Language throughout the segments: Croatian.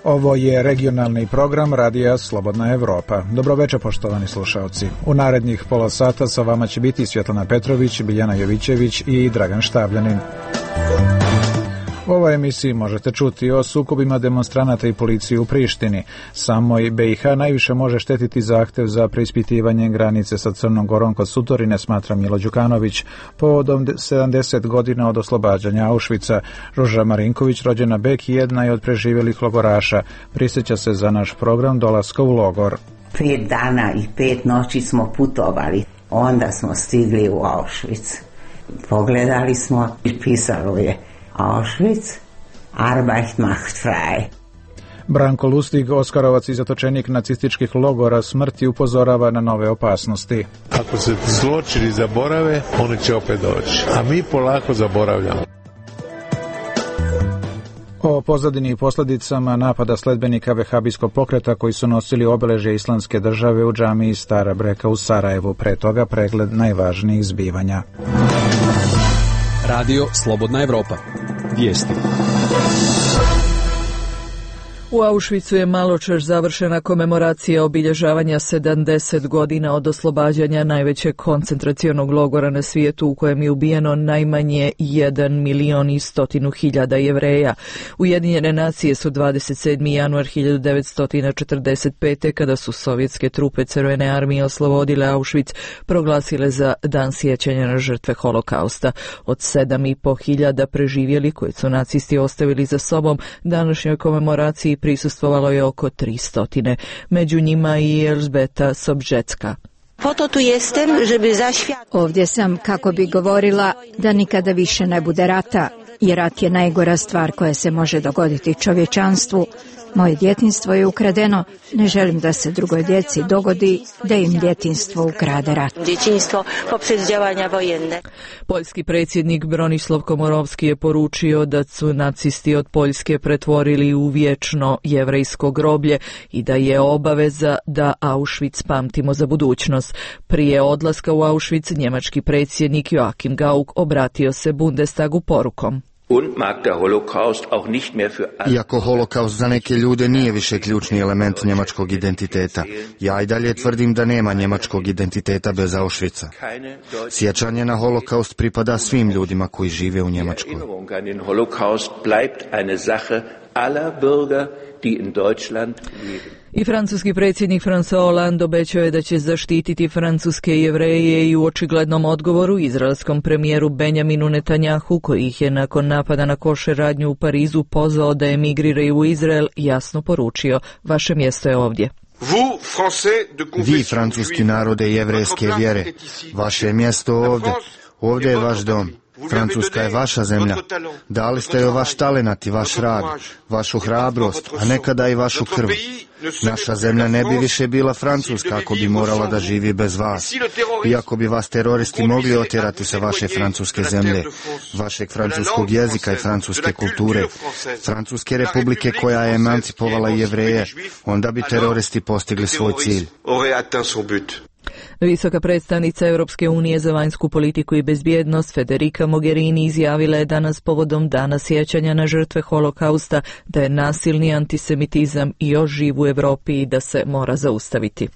Ovo je regionalni program Radija Slobodna Evropa. Dobroveče, poštovani slušaoci. U narednih pola sata sa vama će biti Svjetlana Petrović, Biljana Jovićević i Dragan Štavljanin. U ovoj emisiji možete čuti o sukobima demonstranata i policije u Prištini. Samoj BiH najviše može štetiti zahtev za preispitivanje granice sa Crnom Gorom kod Sutorine, smatra Milo Đukanović. Povodom 70 godina od oslobađanja Auschwitza, Ruža Marinković, rođena Bek, jedna je od preživjelih logoraša. Prisjeća se za naš program dolaska u logor. 5 dana i 5 noći smo putovali. Onda smo stigli u Auschwitz. Pogledali smo i pisalo je Auschwitz, Arbeit macht frei. Branko Lustig, oskarovac i zatočenik nacističkih logora smrti, upozorava na nove opasnosti. Ako se zločini zaborave, oni će opet doći, a mi polako zaboravljamo. O pozadini i posljedicama napada sledbenika vehabijskog pokreta koji su nosili obeležje Islamske države u džamiji Stara Breka u Sarajevu. Pre toga pregled najvažnijih zbivanja. Radio Slobodna Evropa. Vijesti. U Auschwitzu je maločas završena komemoracija obilježavanja 70 godina od oslobađanja najvećeg koncentracionog logora na svijetu u kojem je ubijeno najmanje 1.100.000 Jevreja. Ujedinjene nacije su 27. januar 1945. kada su sovjetske trupe Crvene armije oslobodile Auschwitz proglasile za dan sjećanja na žrtve holokausta. Od 7.500 preživjeli koje su nacisti ostavili za sobom, današnjoj komemoraciji prisustvovalo je oko 300. Među njima i Elžbeta Sobžecka. Ovdje sam kako bi govorila da nikada više ne bude rata, jer rat je najgora stvar koja se može dogoditi čovječanstvu. Moje djetinjstvo je ukradeno, ne želim da se drugoj djeci dogodi da im djetinjstvo ukrade rat. Poljski predsjednik Bronislav Komorovski je poručio da su nacisti od Poljske pretvorili u vječno jevrejsko groblje i da je obaveza da Auschwitz pamtimo za budućnost. Prije odlaska u Auschwitz njemački predsjednik Joachim Gauck obratio se Bundestagu porukom. Iako holokaust za neke ljude nije više ključni element njemačkog identiteta, ja i dalje tvrdim da nema njemačkog identiteta bez Auschwitza. Sjećanje na holokaust pripada svim ljudima koji žive u Njemačkoj. I francuski predsjednik François Hollande obećao je da će zaštititi francuske Jevreje i u očiglednom odgovoru izraelskom premijeru Benjaminu Netanjahu, koji ih je nakon napada na košer radnju u Parizu pozvao da emigriraju u Izrael, jasno poručio: vaše mjesto je ovdje. Vi, francuski narode jevrejske vjere, vaše je mjesto ovdje. Ovdje je vaš dom. Francuska je vaša zemlja. Dali ste joj vaš talenat i vaš rad, vašu hrabrost, a nekada i vašu krv. Naša zemlja ne bi više bila Francuska ako bi morala da živi bez vas. Iako bi vas teroristi mogli otjerati sa vaše francuske zemlje, vašeg francuskog jezika i francuske kulture, Francuske republike koja je emancipovala Jevreje, onda bi teroristi postigli svoj cilj. Visoka predstavnica Europske unije za vanjsku politiku i bezbjednost Federica Mogherini izjavila je danas povodom dana sjećanja na žrtve holokausta da je nasilni antisemitizam još živ u Europi i da se mora zaustaviti.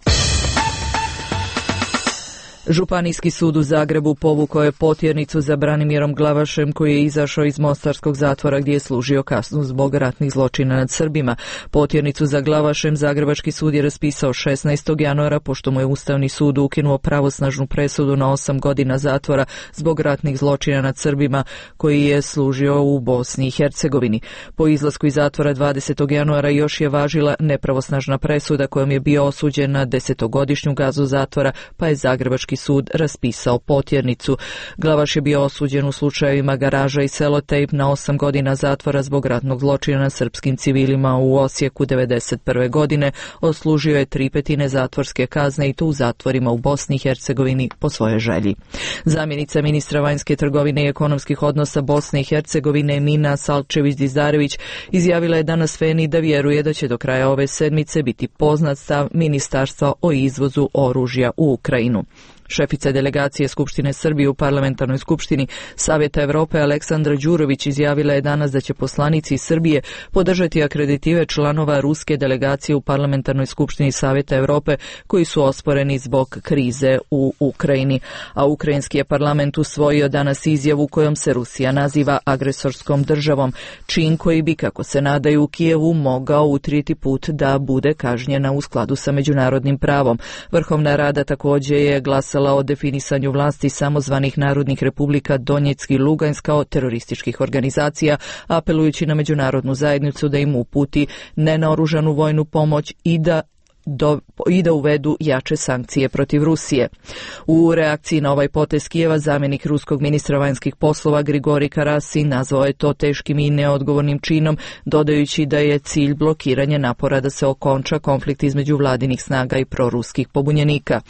Županijski sud u Zagrebu povukao je potjernicu za Branimirom Glavašem koji je izašao iz mostarskog zatvora gdje je služio kaznu zbog ratnih zločina nad Srbima. Potjernicu za Glavašem Zagrebački sud je raspisao 16. januara pošto mu je Ustavni sud ukinuo pravosnažnu presudu na 8 godina zatvora zbog ratnih zločina nad Srbima koji je služio u Bosni i Hercegovini. Po izlasku iz zatvora 20. januara još je važila nepravosnažna presuda kojom je bio osuđen na 10-godišnju kaznu zatvora, pa je Zagrebački sud raspisao potjernicu. Glavaš je bio osuđen u slučajevima Garaža i Selotejp na 8 godina zatvora zbog ratnog zločina nad srpskim civilima u Osijeku 1991. godine. Odslužio je 3/5 zatvorske kazne i to u zatvorima u Bosni i Hercegovini po svojoj želji. Zamjenica ministra vanjske trgovine i ekonomskih odnosa Bosne i Hercegovine Mina Salčević-Dizdarević izjavila je danas Feni da vjeruje da će do kraja ove sedmice biti poznat stav ministarstva o izvozu oružja u Ukrajinu. Šefica delegacije Skupštine Srbije u Parlamentarnoj skupštini Savjeta Evrope Aleksandra Đurović izjavila je danas da će poslanici Srbije podržati akreditive članova ruske delegacije u Parlamentarnoj skupštini Savjeta Evrope koji su osporeni zbog krize u Ukrajini. A ukrajinski je parlament usvojio danas izjavu kojom se Rusija naziva agresorskom državom, čin koji bi, kako se nadaju u Kijevu, mogao utrijeti put da bude kažnjena u skladu sa međunarodnim pravom. Vrhovna rada također je glasala o definisanju vlasti samozvanih narodnih republika Donjeck i Lugansk kao terorističkih organizacija, apelujući na međunarodnu zajednicu da im uputi nenaoružanu vojnu pomoć i da uvedu jače sankcije protiv Rusije. U reakciji na ovaj potez Kijeva, zamjenik ruskog ministra vanjskih poslova Grigorij Karasin nazvao je to teškim i neodgovornim činom, dodajući da je cilj blokiranje napora da se okonča konflikt između vladinih snaga i proruskih pobunjenika.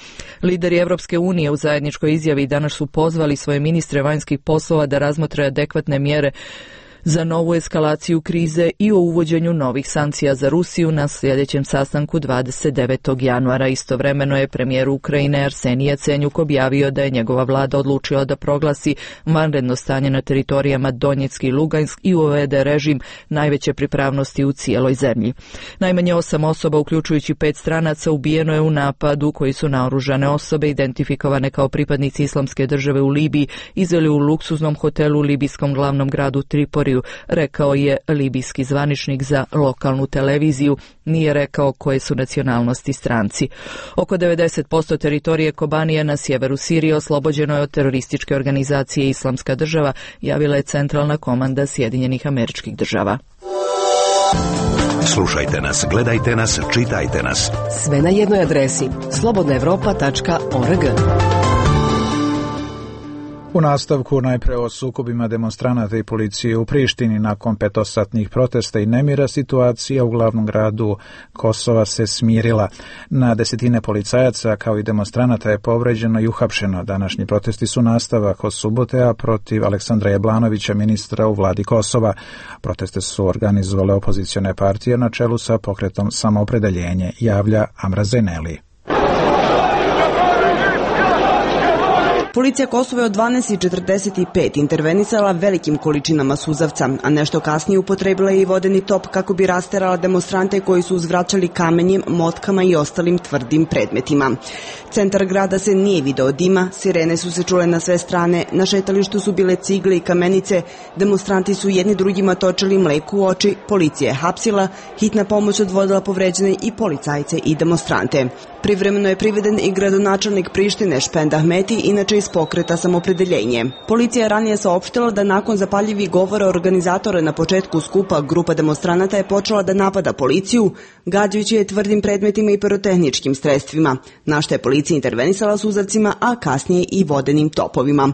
Lideri Evropske unije u zajedničkoj izjavi danas su pozvali svoje ministre vanjskih poslova da razmotre adekvatne mjere za novu eskalaciju krize i o uvođenju novih sankcija za Rusiju na sljedećem sastanku 29. januara. Istovremeno je premijer Ukrajine Arsenij Jacenjuk objavio da je njegova vlada odlučila da proglasi vanredno stanje na teritorijama Donjeck i Lugansk i uvede režim najveće pripravnosti u cijeloj zemlji. Najmanje 8 osoba, uključujući 5 stranaca, ubijeno je u napadu koji su naoružane osobe identifikovane kao pripadnici Islamske države u Libiji izveli u luksuznom hotelu u libijskom glavnom gradu Triporiju, rekao je libijski zvaničnik za lokalnu televiziju. Nije rekao koje su nacionalnosti stranci. Oko 90% teritorije Kobanije na sjeveru Sirije oslobođeno je od terorističke organizacije Islamska država, javila je centralna komanda Sjedinjenih Američkih Država. Slušajte nas, gledajte nas, čitajte nas. Sve na jednoj adresi slobodnaevropa.org. U nastavku najpre o sukobima demonstranata i policije u Prištini. Nakon petosatnih protesta i nemira, situacija u glavnom gradu Kosova se smirila. Na desetine policajaca kao i demonstranata je povređeno i uhapšeno. Današnji protesti su nastavak od subote, a protiv Aleksandra Jablanovića, ministra u vladi Kosova. Proteste su organizovale opozicione partije na čelu sa pokretom Samoopredeljenje, javlja Amra Zeneli. Policija Kosova je od 12:45 intervenisala velikim količinama suzavca, a nešto kasnije upotrebila je i vodeni top kako bi rasterala demonstrante koji su uzvraćali kamenjem, motkama i ostalim tvrdim predmetima. Centar grada se nije video dima, sirene su se čule na sve strane, na šetalištu su bile cigle i kamenice, demonstranti su jedni drugima točili mleku u oči, policija je hapsila, hitna pomoć odvodila povređene i policajce i demonstrante. Privremeno je priveden i gradonačelnik Prištine Špend Ahmeti, inače iz pokreta Samoopredeljenje. Policija je ranije saopštila da nakon zapaljivih govora organizatora na početku skupa, grupa demonstranata je počela da napada policiju, gađajući je tvrdim predmetima i pirotehničkim sredstvima, na što je policija intervenisala suzavcima, a kasnije i vodenim topovima.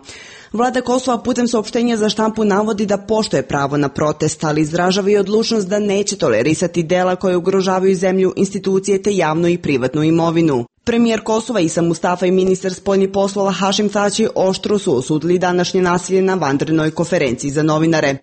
Vlada Kosova putem saopštenja za štampu navodi da poštuje pravo na protest, ali izražava i odlučnost da neće tolerisati dela koje ugrožavaju zemlju, institucije te javnu i privatnu imovinu. Premijer Kosova Isa Mustafa i ministar spoljnih poslova Hašim Tači oštro su osudili današnje nasilje na vanrednoj konferenciji za novinare.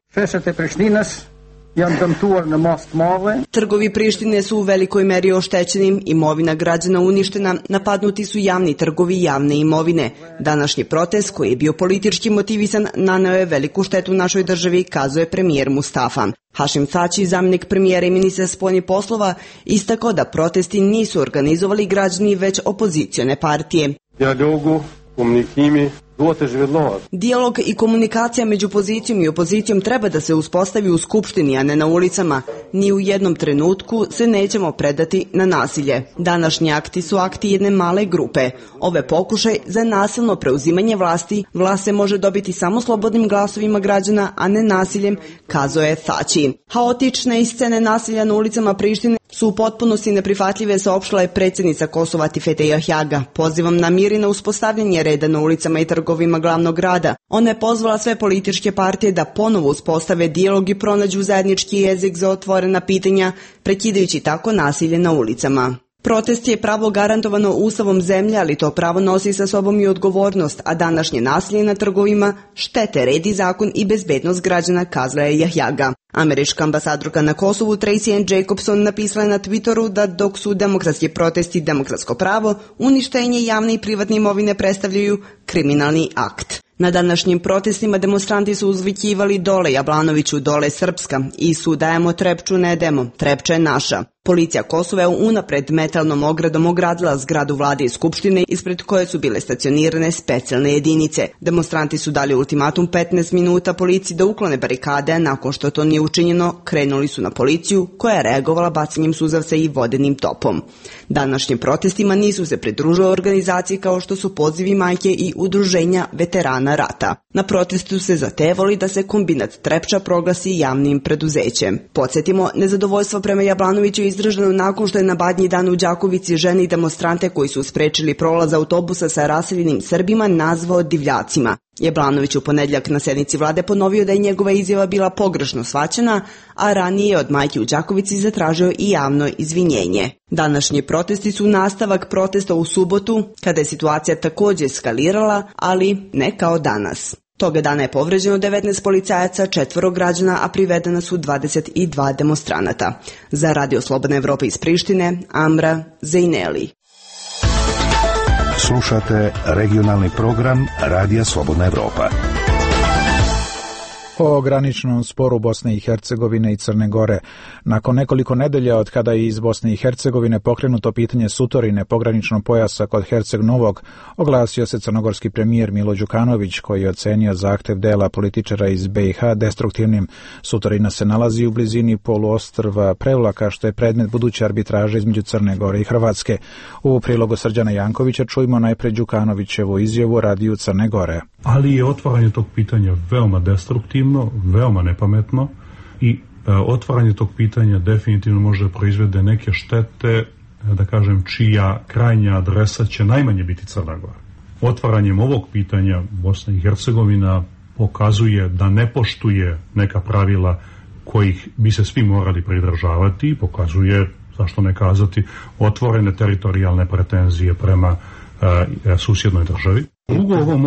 Trgovi Prištine su u velikoj meri oštećeni, imovina građana uništena, napadnuti su javni trgovi i javne imovine. Današnji protest, koji je bio politički motivisan, naneo je veliku štetu našoj državi, kazuje premijer Mustafa. Hašim Tači, zamjenik premijera i ministar spoljnih poslova, istakao da protesti nisu organizovali građani, već opozicione partije. Dijalog i komunikacija među pozicijom i opozicijom treba da se uspostavi u skupštini, a ne na ulicama. Ni u jednom trenutku se nećemo predati na nasilje. Današnji akti su akti jedne male grupe. Ove pokušaj za nasilno preuzimanje vlasti, vlast se može dobiti samo slobodnim glasovima građana, a ne nasiljem, kazuje Tači. Haotične scene nasilja na ulicama Prištine su u potpunosti neprihvatljive, saopštila je predsjednica Kosova Tifete Jahjaga. Pozivam na mir i na uspostavljanje reda na ulicama i trgovima glavnog grada. Ona je pozvala sve političke partije da ponovo uspostave dijalog i pronađu zajednički jezik za otvorena pitanja, prekidajući tako nasilje na ulicama. Protest je pravo garantovano Ustavom zemlje, ali to pravo nosi sa sobom i odgovornost, a današnje nasilje na trgovima štete red i zakon i bezbednost građana, kazala je Jahjaga. Američka ambasadorka na Kosovu Tracy Ann Jacobson napisala je na Twitteru da dok su demokratski protesti demokratsko pravo, uništenje javne i privatne imovine predstavljaju kriminalni akt. Na današnjim protestima demonstranti su uzvikivali dole Jablanoviću, dole Srpska i sudajemo Trepču ne demo, Trepča je naša. Policija Kosova je unapred metalnom ogradom ogradila zgradu vlade i skupštine ispred koje su bile stacionirane specijalne jedinice. Demonstranti su dali ultimatum 15 minuta policiji da uklone barikade, a nakon što to nije učinjeno, krenuli su na policiju koja je reagovala bacanjem suzavca i vodenim topom. Današnjim protestima nisu se pridružile organizacije kao što su Pozivi majke i udruženja veterana rata. Na protestu se zatevali da se kombinat Trepča proglasi javnim preduzećem. Podsjetimo, nezadovoljstvo prema Jablanoviću je izraženo nakon što je na Badnji dan u Đakovici žene i demonstrante koji su sprečili prolaz autobusa sa raseljenim Srbima nazvao divljacima. Jablanović u ponedjeljak na sednici vlade ponovio da je njegova izjava bila pogrešno shvaćena, a ranije od majke u Đakovici zatražio i javno izvinjenje. Današnji protesti su nastavak protesta u subotu, kada je situacija također eskalirala, ali ne kao danas. Toga dana je povređeno 19 policajaca, 4 građana, a privedena su 22 demonstranata. Za Radio Slobodna Evropa iz Prištine, Amra Zejneli. Slušate regionalni program Radija Slobodna Evropa. O graničnom sporu Bosne i Hercegovine i Crne Gore. Nakon nekoliko nedelja od kada je iz Bosne i Hercegovine pokrenuto pitanje sutorine pograničnog pojasa kod Herceg Novog, oglasio se crnogorski premijer Milo Đukanović, koji je ocenio zahtev dela političara iz BiH destruktivnim. Sutorina se nalazi u blizini poluostrva Prevlaka, što je predmet buduće arbitraže između Crne Gore i Hrvatske. U prilogu Srđana Jankovića čujmo najpre Đukanovićevu izjavu Radiju Crne Gore. Ali je otvaranje tog pitanja veoma destruktivno, veoma nepametno i otvaranje tog pitanja definitivno može proizvede neke štete, da kažem, čija krajnja adresa će najmanje biti Crna Gora. Otvaranjem ovog pitanja Bosna i Hercegovina pokazuje da ne poštuje neka pravila kojih bi se svi morali pridržavati, pokazuje, zašto ne kazati, otvorene teritorijalne pretenzije prema susjednoj državi. Drugo, ovo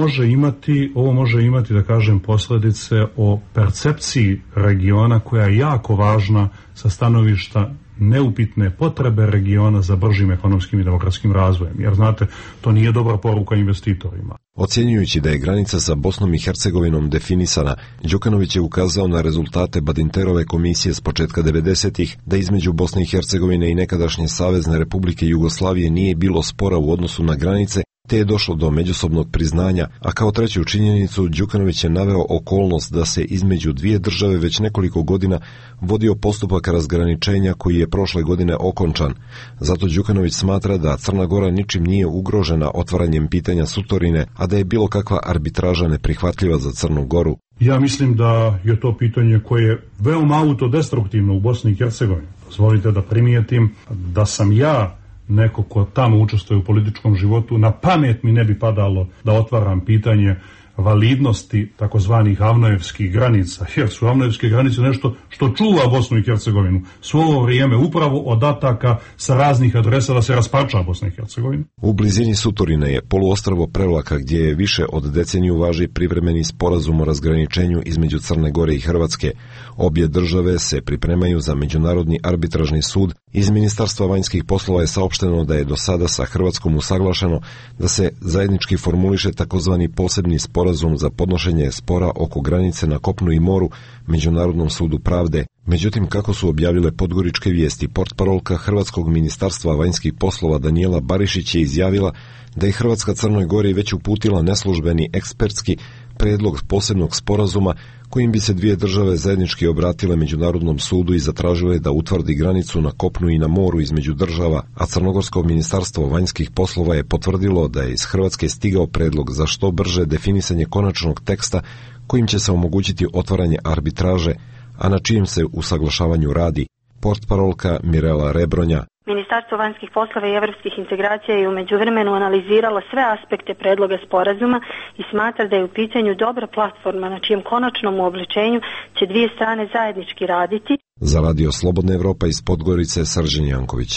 može imati, da kažem, posljedice o percepciji regiona koja je jako važna sa stanovišta neupitne potrebe regiona za bržim ekonomskim i demokratskim razvojem. Jer, znate, to nije dobra poruka investitorima. Ocjenjujući da je granica sa Bosnom i Hercegovinom definisana, Đukanović je ukazao na rezultate Badinterove komisije s početka 90-ih, da između Bosne i Hercegovine i nekadašnje Savezne Republike Jugoslavije nije bilo spora u odnosu na granice, te je došlo do međusobnog priznanja, a kao treću činjenicu Đukanović je naveo okolnost da se između dvije države već nekoliko godina vodio postupak razgraničenja koji je prošle godine okončan. Zato Đukanović smatra da Crna Gora ničim nije ugrožena otvaranjem pitanja sutorine, a da je bilo kakva arbitraža neprihvatljiva za Crnu Goru. Ja mislim da je to pitanje koje je veoma autodestruktivno u Bosni i Hercegovini. Dozvolite da primijetim da sam ja neko ko tamo učestvuje u političkom životu, na pamet mi ne bi padalo da otvaram pitanje validnosti takozvanih avnojevskih granica, jer su avnojevske granice nešto što čuva Bosnu i Hercegovinu svo ovo vrijeme, upravo od ataka sa raznih adresa da se rasparča Bosna i Hercegovina. U blizini Sutorine je poluostrvo Prevlaka, gdje je više od deceniju važi privremeni sporazum o razgraničenju između Crne Gore i Hrvatske. Obje države se pripremaju za Međunarodni arbitražni sud. Iz Ministarstva vanjskih poslova je saopšteno da je do sada sa Hrvatskom usaglašeno da se zajednički formuliše takozvani posebni sporazum za podnošenje spora oko granice na kopnu i moru Međunarodnom sudu pravde. Međutim, kako su objavile podgoričke vijesti, portparolka Hrvatskog ministarstva vanjskih poslova Danijela Barišić je izjavila da je Hrvatska Crnoj Gori već uputila neslužbeni ekspertski predlog posebnog sporazuma kojim bi se dvije države zajednički obratile Međunarodnom sudu i zatražile da utvrdi granicu na kopnu i na moru između država, a Crnogorsko ministarstvo vanjskih poslova je potvrdilo da je iz Hrvatske stigao predlog za što brže definisanje konačnog teksta kojim će se omogućiti otvaranje arbitraže, a na čijem se usaglašavanju radi. Portparolka Mirela Rebronja. Ministarstvo vanjskih poslova i evropskih integracija je u međuvremenu analiziralo sve aspekte predloga sporazuma i smatra da je u pitanju dobra platforma na čijem konačnom uobličenju će dvije strane zajednički raditi. Za Radio Slobodna Evropa iz Podgorice, Srđan Janković.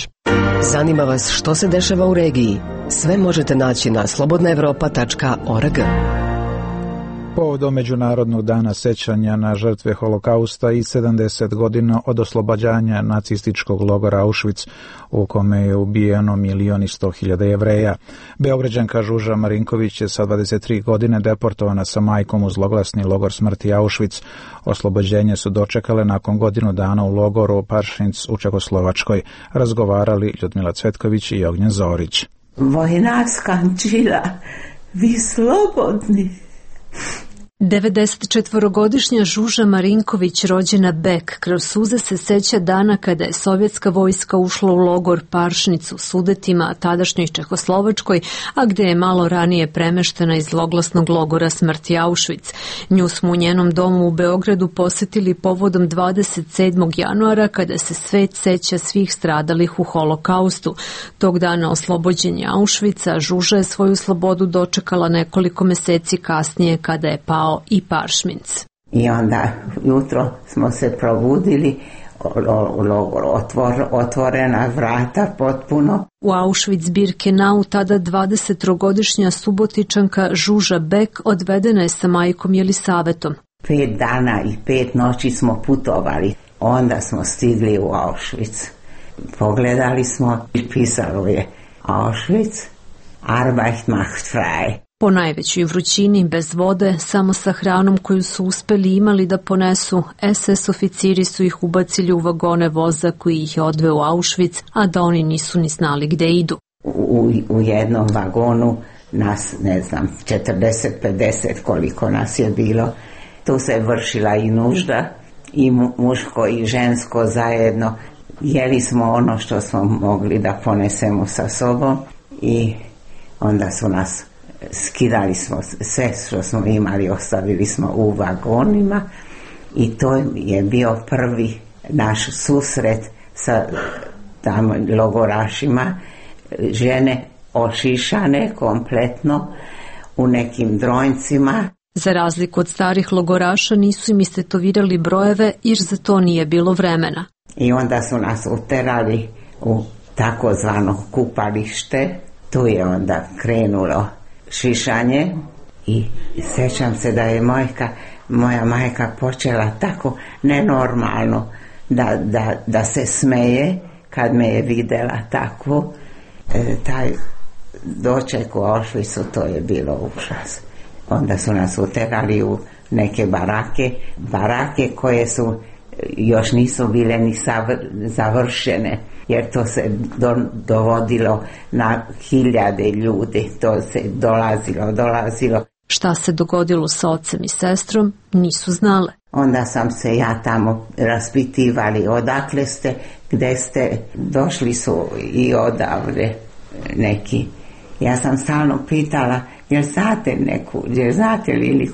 Zanima vas što se dešava u regiji? Sve možete naći na slobodnaevropa.org. Povodom Međunarodnog dana sećanja na žrtve holokausta i 70 godina od oslobađanja nacističkog logora Auschwitz, u kome je ubijeno 1.100.000 Jevreja. Beograđanka Žuža Marinković je sa 23 godine deportovana sa majkom u zloglasni logor smrti Auschwitz. Oslobođenje su dočekale nakon godinu dana u logoru Paršinc u Čekoslovačkoj. Razgovarali Ljudmila Cvetković i Ognjen Zorić. Vojna skančila, vi slobodni. 94-godišnja Žuža Marinković, rođena Bek, kroz suze se seća dana kada je sovjetska vojska ušla u logor Paršnic u Sudetima, tadašnjoj Čehoslovačkoj, a gde je malo ranije premeštena iz zloglasnog logora smrti Auschwitz. Nju smo u njenom domu u Beogradu posetili povodom 27. januara kada se svet seća svih stradalih u holokaustu. Tog dana oslobođenja Auschwitza, Žuža je svoju slobodu dočekala nekoliko meseci kasnije kada je pao i Paršminc. I onda jutro smo se probudili, logor otvorena vrata potpuno. U Auschwitz-Birkenau tada 20-godišnja Subotičanka Žuža Bek odvedena je sa majkom Jelisavetom. 5 dana i 5 noći smo putovali. Onda smo stigli u Auschwitz. Pogledali smo i pisalo je Auschwitz, Arbeit macht frei. Po najvećoj vrućini, bez vode, samo sa hranom koju su uspeli imali da ponesu, SS oficiri su ih ubacili u vagone voza koji ih je odveo u Auschwitz, a da oni nisu ni znali gde idu. U jednom vagonu nas, 40-50 koliko nas je bilo. Tu se vršila i nužda, i muško i žensko zajedno. Jeli smo ono što smo mogli da ponesemo sa sobom i onda su nas skidali smo sve što smo imali, ostavili smo u vagonima i to je bio prvi naš susret sa tamo logorašima, žene ošišane kompletno u nekim dronjcima. Za razliku od starih logoraša nisu im istetovirali brojeve jer za to nije bilo vremena. I onda su nas uterali u takozvano kupalište, tu je onda krenulo šišanje i sećam se da je moja majka počela tako nenormalno da se smeje kad me je videla takvu. Taj doček u Auschwitzu, to je bilo užas. Onda su nas uterali u neke barake koje su još nisu bile ni završene, jer to se dovodilo na hiljade ljudi, to se dolazilo. Šta se dogodilo sa ocem i sestrom, nisu znale. Onda sam se ja tamo raspitivali odakle ste, gde ste, došli su i odavde neki. Ja sam stalno pitala, jer znate neku, jer znate li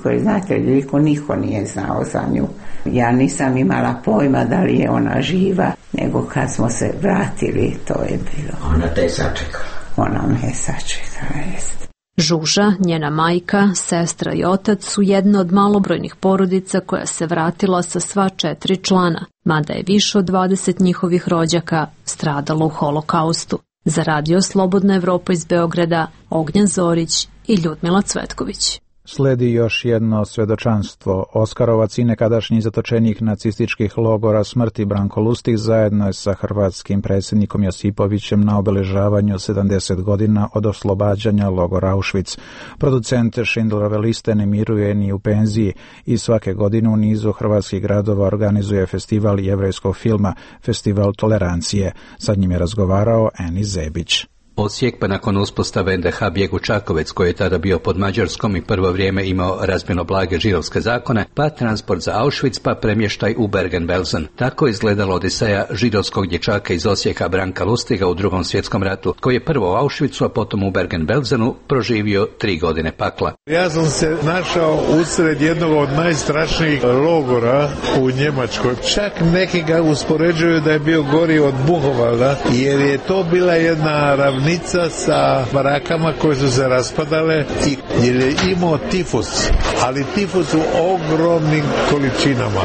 niko nije znao za nju. Ja nisam imala pojma da li je ona živa, nego kad smo se vratili, to je bilo. Ona te je sačekala. Ona me je sačekala, jest. Žuža, njena majka, sestra i otac su jedna od malobrojnih porodica koja se vratila sa sva 4 člana, mada je više od 20 njihovih rođaka stradalo u holokaustu. Za radio Slobodna Evropa iz Beograda, Ognjen Zorić i Ljudmila Cvetković. Sledi još jedno svedočanstvo. Oskarovac i nekadašnji zatočenik nacističkih logora smrti Branko Lustig zajedno je sa hrvatskim predsjednikom Josipovićem na obeležavanju 70 godina od oslobađanja logora Auschwitz. Producent Schindlerove liste ne miruje ni u penziji i svake godine u nizu hrvatskih gradova organizuje festival jevrejskog filma, festival tolerancije. Sa njim je razgovarao Eni Zebić. Osijek, pa nakon uspostave NDH bijeg u Čakovec, koji je tada bio pod Mađarskom i prvo vrijeme imao razmjerno blage židovske zakone, pa transport za Auschwitz, pa premještaj u Bergen-Belsen. Tako je izgledala odiseja židovskog dječaka iz Osijeka Branka Lustiga u Drugom svjetskom ratu, koji je prvo u Auschwitzu, a potom u Bergen-Belsenu proživio 3 godine pakla. Ja sam se našao usred jednog od najstrašnijih logora u Njemačkoj. Čak neki ga uspoređuju da je bio gori od Buchenwalda, jer je to bila jedna ravnica sa barakama koje su se raspadale i jer je imao tifus, ali tifus u ogromnim količinama.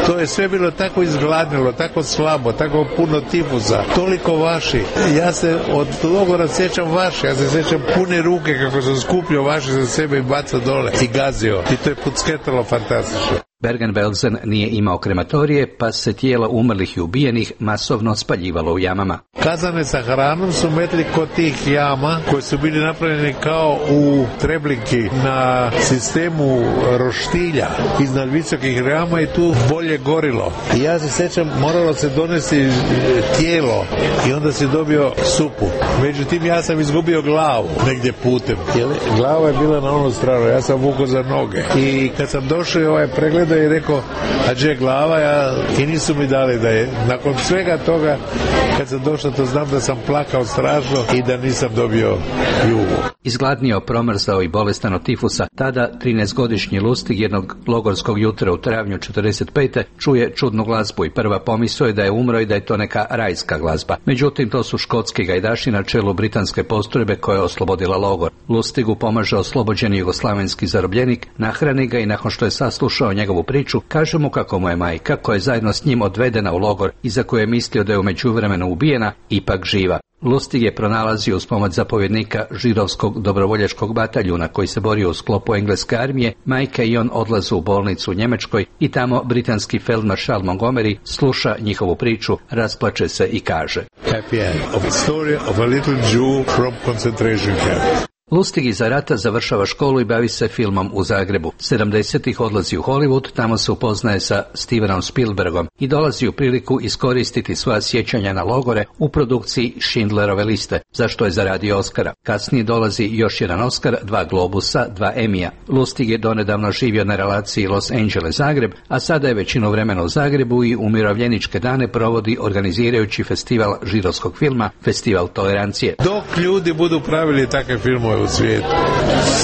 To je sve bilo tako izgladnilo, tako slabo, tako puno tifusa, toliko vaši. Ja se od logora sjećam vaši, ja se sjećam pune ruke kako sam skupljio vaši za sebe i bacao dole i gazio. I to je pucketalo fantastično. Bergen-Belsen nije imao krematorije, pa se tijela umrlih i ubijenih masovno spaljivalo u jamama. Kazane sa hranom su metli kod tih jama koje su bili napravljeni kao u Treblinki na sistemu roštilja iznad visokih jama i tu bolje gorilo. I ja se sjećam, moralo se donesti tijelo i onda si dobio supu. Međutim, ja sam izgubio glavu negdje putem. Glava je bila na onu stranu, ja sam vukao za noge. I kad sam došao ovaj pregled i rekao, a gdje glava, i nisu mi dali da je. Nakon svega toga, kad sam došao, to znam da sam plakao strašno i da nisam dobio jugu. Izgladnio, promrzao i bolestan od tifusa, tada 13-godišnji Lustig jednog logorskog jutra u travnju 45. čuje čudnu glazbu i prva pomisao je da je umro i da je to neka rajska glazba. Međutim, to su škotski gajdaši na čelu britanske postrojbe koja je oslobodila logor. Lustigu pomaže oslobođeni jugoslavenski zarobljenik, nahrani ga i nakon što je saslušao njegovu priču, kaže mu kako mu je majka, koja je zajedno s njim odvedena u logor i za koju je mislio da je u međuvremenu ubijena, ipak živa. Lustig je pronalazio uz pomoć zapovjednika židovskog dobrovoljačkog bataljuna koji se borio u sklopu engleske armije. Majka i on odlaze u bolnicu u Njemačkoj i tamo britanski feldmaršal Montgomery sluša njihovu priču, rasplače se i kaže: Happy end of the story of a little Jew from concentration camp. Lustig iza rata završava školu i bavi se filmom u Zagrebu. 70-ih odlazi u Hollywood, tamo se upoznaje sa Stevenom Spielbergom i dolazi u priliku iskoristiti svoja sjećanja na logore u produkciji Schindlerove liste, za što je zaradio Oscara. Kasnije dolazi još jedan Oscar, 2 Globusa, 2 Emija. Lustig je donedavno živio na relaciji Los Angeles-Zagreb, a sada je većinu vremena u Zagrebu i umirovljeničke dane provodi organizirajući festival židovskog filma, Festival tolerancije. Dok ljudi budu pravili takve filmove u svijetu,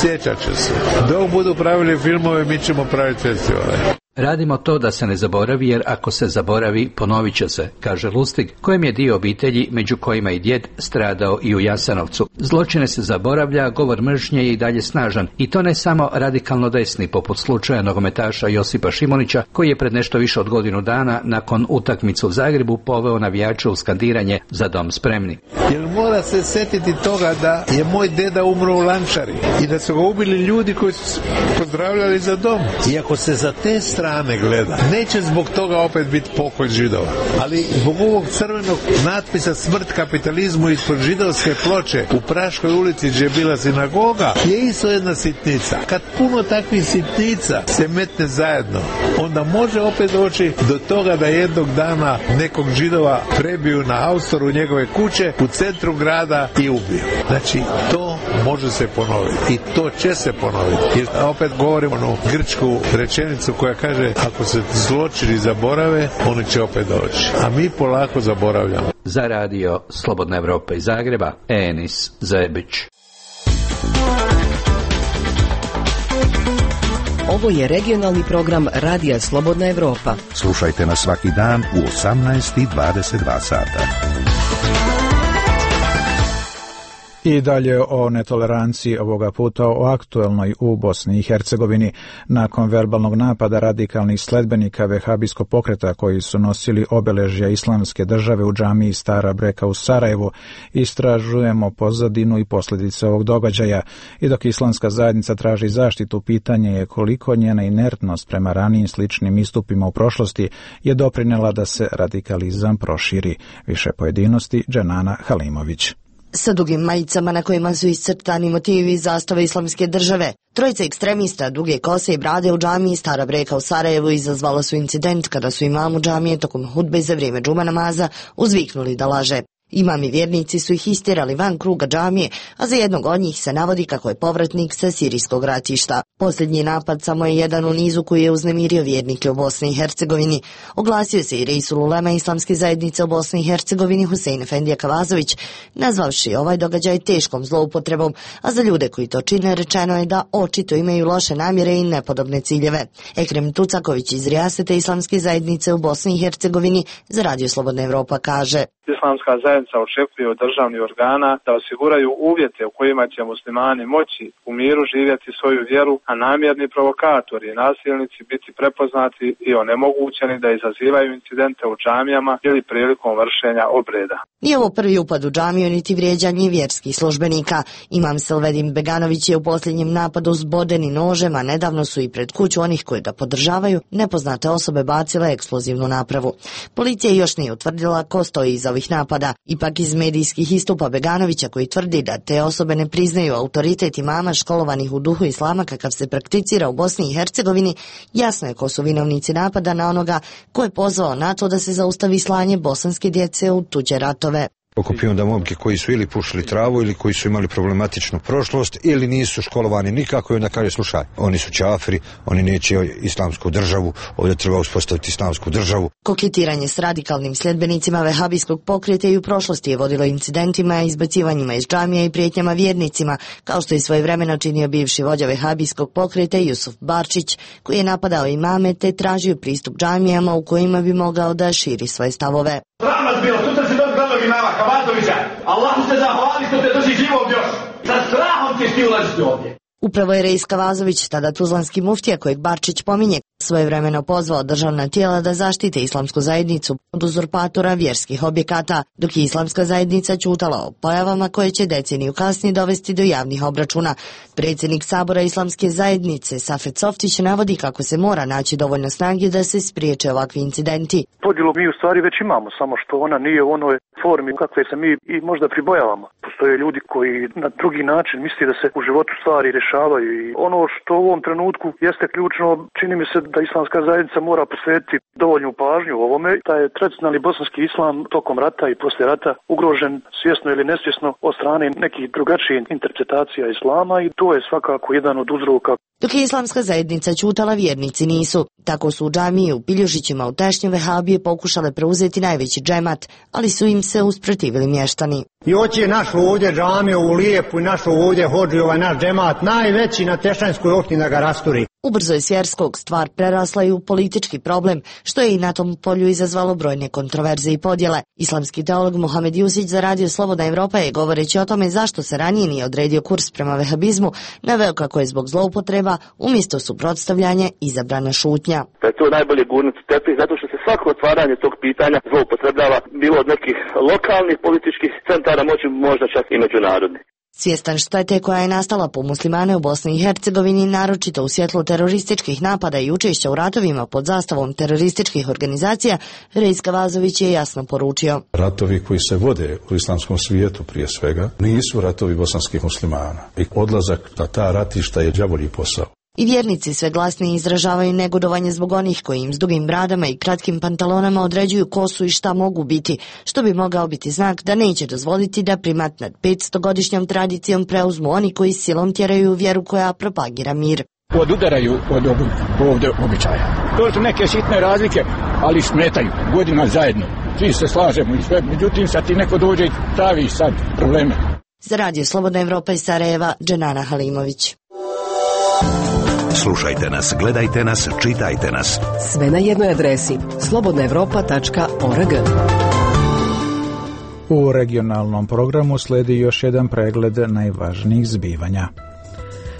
sjećat će se. Dok budu pravili filmove, mi ćemo praviti festivale. Radimo to da se ne zaboravi, jer ako se zaboravi, ponovit će se, kaže Lustig, kojem je dio obitelji, među kojima i djed, stradao i u Jasenovcu. Zločine se zaboravlja, govor mržnje je i dalje snažan, i to ne samo radikalno desni, poput slučaja nogometaša Josipa Šimunića, koji je pred nešto više od godinu dana, nakon utakmice u Zagrebu, poveo navijače u skandiranje Za dom spremni. Jer mora se sjetiti toga da je moj deda umro u Lančari i da su ga ubili ljudi koji su pozdravljali Za dom. I ako se za te strane gleda, neće zbog toga opet biti pokoj Židova. Ali zbog ovog crvenog natpisa smrt kapitalizmu ispod židovske ploče u Praškoj ulici gdje je bila sinagoga je isto jedna sitnica. Kad puno takvih sitnica se metne zajedno, onda može opet doći do toga da jednog dana nekog Židova prebiju na haustoru njegove kuće u centru grada i ubiju. Znači, to može se ponoviti i to će se ponoviti. Jer opet govorimo onu grčku rečenicu koja kaže, ako se zločini zaborave, oni će opet doći. A mi polako zaboravljamo. Za radio Slobodna Evropa iz Zagreba, Enis Zebić. Ovo je regionalni program Radija Slobodna Evropa. Slušajte nas svaki dan u 18:22 sata. I dalje o netoleranciji, ovoga puta o aktuelnoj u Bosni i Hercegovini. Nakon verbalnog napada radikalnih sledbenika vehabijskog pokreta koji su nosili obeležja islamske države u džamiji Stara Breka u Sarajevu, istražujemo pozadinu i posljedice ovog događaja. I dok islamska zajednica traži zaštitu, pitanje je koliko njena inertnost prema ranijim sličnim istupima u prošlosti je doprinela da se radikalizam proširi. Više pojedinosti Dženana Halimović. Sa dugim majicama na kojima su iscrtani motivi zastave islamske države, trojica ekstremista duge kose i brade u džamiji Stara Breka u Sarajevu izazvala su incident kada su imamu džamije tokom hudbe za vrijeme džuma namaza uzviknuli da laže. Imami vjernici su ih istjerali van kruga džamije, a za jednog od njih se navodi kako je povratnik sa sirijskog ratišta. Posljednji napad samo je jedan u nizu koji je uznemirio vjernike u Bosni i Hercegovini. Oglasio se i Reisul Ulema islamske zajednice u Bosni i Hercegovini Husein Efendija Kavazović, nazvavši ovaj događaj teškom zloupotrebom, a za ljude koji to čine rečeno je da očito imaju loše namjere i nepodobne ciljeve. Ekrem Tucaković iz Rijasete islamske zajednice u Bosni i Hercegovini za Radio Slobodna Evropa kaže: Islamska zajednica očekuje od državnih organa da osiguraju uvjete u kojima će muslimani moći u miru živjeti svoju vjeru, a namjerni provokatori i nasilnici biti prepoznati i onemogućeni da izazivaju incidente u džamijama ili prilikom vršenja obreda. Nije ovo prvi upad u džamiju niti vrijeđanje vjerskih službenika. Imam Selvedin Beganović je u posljednjem napadu zboden i nožem, a nedavno su i pred kuću onih koji ga podržavaju nepoznate osobe bacile eksplozivnu napravu. Policija još nije utvrdila ko stoji iza ovih napada. Ipak iz medijskih istupa Beganovića, koji tvrdi da te osobe ne priznaju autoritet imama školovanih u duhu islama kakav se prakticira u Bosni i Hercegovini, jasno je ko su vinovnici napada na onoga ko je pozvao na to da se zaustavi slanje bosanske djece u tuđe ratove. Okupio da momke koji su ili pušili travu ili koji su imali problematičnu prošlost ili nisu školovani nikako i onda kaže slušaj, oni su čafiri, oni neće islamsku državu, ovdje treba uspostaviti islamsku državu. Koketiranje s radikalnim sljedbenicima vehabijskog pokreta i u prošlosti je vodilo incidentima, izbacivanjima iz džamija i prijetnjama vjernicima, kao što je svojevremeno činio bivši vođa vehabijskog pokreta Jusuf Barčić, koji je napadao imame te tražio pristup džamijama u kojima bi mogao da širi svoje stavove. Rahmat bilo, sutra si dobiti glavnog imama Kabatovića. Allahu se zahvali što te drži živog još. Sa strahom ćeš ti ulaziti ovdje. Upravo je Rejs Kavazović, tada tuzlanski muftija kojeg Barčić pominje, svojevremeno pozvao državna tijela da zaštite islamsku zajednicu od uzurpatora vjerskih objekata, dok je islamska zajednica ćutala o pojavama koje će deceniju kasnije dovesti do javnih obračuna. Predsjednik Sabora islamske zajednice Safet Softić navodi kako se mora naći dovoljno snage da se spriječe ovakvi incidenti. Podjelu mi u stvari već imamo, samo što ona nije u onoj formi kakve se mi i možda pribojavamo. Postoje ljudi koji na drugi način misli da se u životu stvari rješavaju i ono što u ovom trenutku jeste ključno, čini mi se da islamska zajednica mora posvetiti dovoljnu pažnju u ovome. Taj je tradicionalni bosanski islam tokom rata i poslije rata ugrožen svjesno ili nesvjesno od strane nekih drugačijih interpretacija islama i to je svakako jedan od uzroka. Dok je islamska zajednica ćutala, vjernici nisu. Tako su u džamiji u Piljušićima u Tešnju vehabije pokušale preuzeti najveći džemat, ali su im se usprotivili mještani. I hoće našu ovdje džamiju u Lijepu i našu ovdje hođi ovaj naš džemat najveći na Tešanjskoj opštini da ga rasturi. Ubrzo je s vjerskog stvar prerasla i u politički problem, što je i na tom polju izazvalo brojne kontroverze i podjele. Islamski teolog Mohamed Jusić za Radio Slobodna Evropa je, govoreći o tome zašto se ranije nije odredio kurs prema vehabizmu, naveo kako je zbog zloupotreba umjesto suprotstavljanja izabrana šutnja. Da je to najbolje gurnuti tepih, zato što se svako otvaranje tog pitanja zloupotrebljava, bilo od nekih lokalnih političkih centara moći, možda čak i međunarodnih. Svjestan štete koja je nastala po muslimane u Bosni i Hercegovini, naročito u svjetlu terorističkih napada i učešća u ratovima pod zastavom terorističkih organizacija, Rejs Kavazović je jasno poručio. Ratovi koji se vode u islamskom svijetu prije svega nisu ratovi bosanskih muslimana i odlazak na ta ratišta je đavolji posao. I vjernici sve glasnije izražavaju negodovanje zbog onih koji im s dugim bradama i kratkim pantalonama određuju ko su i šta mogu biti, što bi mogao biti znak da neće dozvoliti da primat nad 500-godišnjom tradicijom preuzmu oni koji silom tjeraju vjeru koja propagira mir. Odudaraju od ovdje običaja. To su neke sitne razlike, ali smetaju godina zajedno. Svi se slažemo i sve, međutim sad ti neko dođe i pravi sad probleme. Za Radio Slobodna Evropa iz Sarajeva, Dženana Halimović. Slušajte nas, gledajte nas, čitajte nas. Sve na jednoj adresi slobodnaevropa.org. U regionalnom programu slijedi još jedan pregled najvažnijih zbivanja.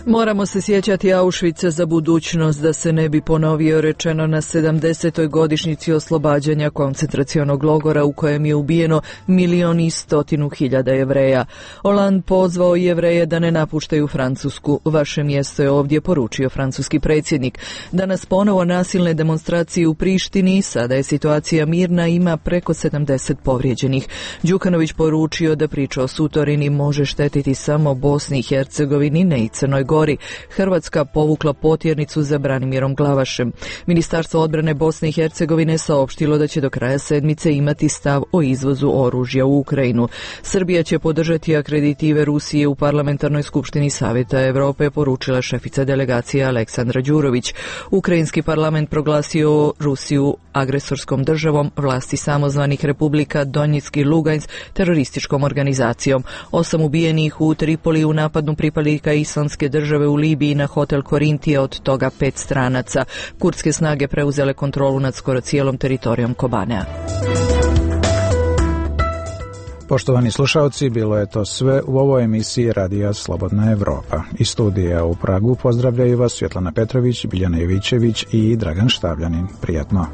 Moramo se sjećati Auschwitza za budućnost da se ne bi ponovio, rečeno na 70. godišnjici oslobađanja koncentracionog logora u kojem je ubijeno 1.100.000 Jevreja. Hollande pozvao Jevreje da ne napuštaju Francusku. Vaše mjesto je ovdje, poručio francuski predsjednik. Danas ponovo nasilne demonstracije u Prištini, sada je situacija mirna, ima preko 70 povrijeđenih. Đukanović poručio da priča o Sutorini može štetiti samo Bosni i Hercegovini, ne i Crnoj Gori. Hrvatska povukla potjernicu za Branimirom Glavašem. Ministarstvo odbrane Bosne i Hercegovine saopštilo da će do kraja sedmice imati stav o izvozu oružja u Ukrajinu. Srbija će podržati akreditive Rusije u Parlamentarnoj skupštini Savjeta Europe, poručila šefica delegacije Aleksandra Đurović. Ukrajinski parlament proglasio Rusiju agresorskom državom, vlasti samozvanih republika Donjeck i Lugansk terorističkom organizacijom. 8 ubijenih u Tripoliju u napadu pripadnika Islamske države u Libiji na hotel Korintija, od toga 5 stranaca. Kurdske snage preuzele kontrolu nad skoro cijelom teritorijom Kobanea. Poštovani slušalci, bilo je to sve u ovoj emisiji Radija Slobodna Evropa. Iz studija u Pragu pozdravljaju vas Svjetlana Petrović, Biljana Jovićević i Dragan Štavljanin. Prijatno.